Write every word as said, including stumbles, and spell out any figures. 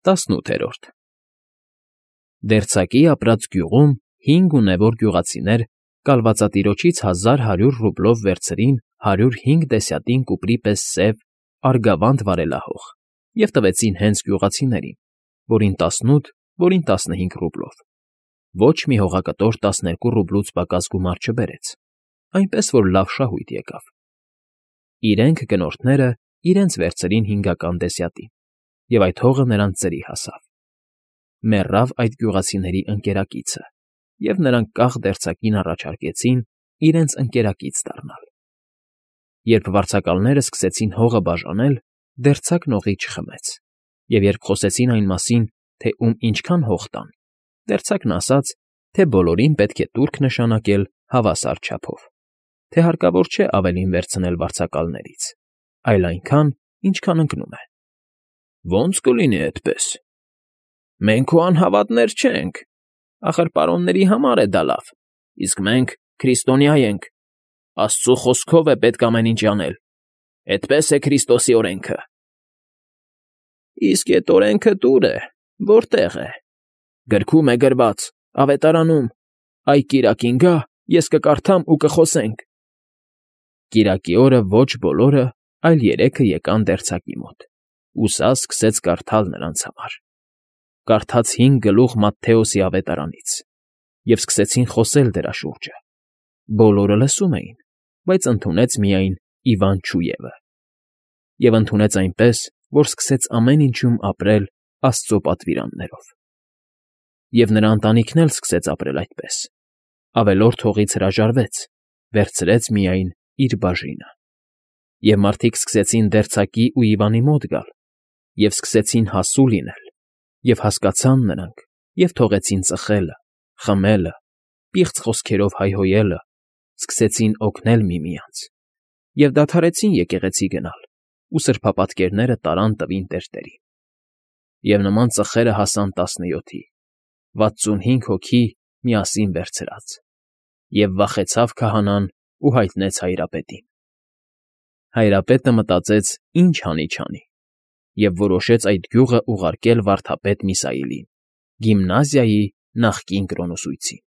Տասնութերորդ Դերձակի ապրած գյուղում հինգ ունևոր գյուղացիներ կալվածատիրոջից հազար հարյուր ռուբլով վերցրին հարյուր հինգ դեսյատին կուպրի պես սև, արգավանդ վարելահող և տվեցին հենց գյուղացիներին, որին տասնութ, որին տասնհինգ ռուբլով. ոչ մի հողակտոր տասներկու ռուբլուց պակաս գումար չբերեց, այնպես որ լավ շահույթ եկավ. իրենք, կնորդները, իրենց վերցրին հինգական դեսյատին, և այդ հողը նրանց ծերի հասավ. մեռավ այդ գյուղացիների ընկերակիցը, և նրանք կախ դերձակին առաջարկեցին իրենց ընկերակից դառնալ. Երբ վարձակալներն սկսեցին հողը բաժանել, դերձակն օղի չխմեց, և երբ խոսեցին այն մասին, թե ում ինչքան հող տան, դերձակն ասաց, թե բոլորին պետք է տուրք նշանակել հավասար չափով, թե հարկավոր չէ ավելին վերցնել վարձակալներից, այլ այնքան, ինչքան ընկնում է։ ֊ Ո՞նց կլինի այդպես, մենք քո անհավատներ չենք, ախր պարոնների համար է դա լավ, իսկ մենք քրիստոնյա ենք, Աստծու խոսքով է պետք ամեն ինչ անել, էդպես է Քրիստոսի օրենքը։ ֊ Իսկ էդ օրենքը տուր է, որտե՞ղ է։ ֊ Գրքում է գրված, Ավետարանում, այ կիրակին գա, ես կկարդամ ու կխոսենք։ Կիրակի օրը ոչ բոլորը, այլ երեքը եկան դերձակի մոտ, ու սա սկսեց կարդալ նրանց համար. կարդաց հինգ գլուխ Մատթեոսի Ավետարանից, և սկսեցին խոսել դրա շուրջը. բոլորը լսում էին, բայց ընդունեց միայն Իվան չուևը։ Եվ ընդունեց այնպես, որ սկսեց ամեն ինչում ապրել Աստծո պատվիրաններով։ Եվ նրա ընտանիքն էլ սկսեց ապրել այդպես, ավելորդ հողից հրաժարվեց, վերցրեց միայն իր բաժինը։ Եվ մարդիկ սկսեցին դերձակի ու Իվանի մոտ գալ, և սկսեցին հասու լինել, և հասկացան նրանք, և թողեցին ծխելը, խմելը, պիղծ խոսքերով հայհոյելը, սկսեցին օգնել միմյանց, և դադարեցին եկեղեցի գնալ ու սրբապատկերները տարան տվին տերտերին։ Եվ նման ծխերը հասան տասնյոթի, վաթսունհինգ հոգի միասին վերցրած, և վախեցավ քահանան ու հայտնեց հայրապետին։ Հայրապետը մտածեց ինչ հանի չանի, և որոշեց այդ գյուղը ուղարկել վարդապետ Միսայելին, գիմնազիայի նախկին կրոնուսույցին։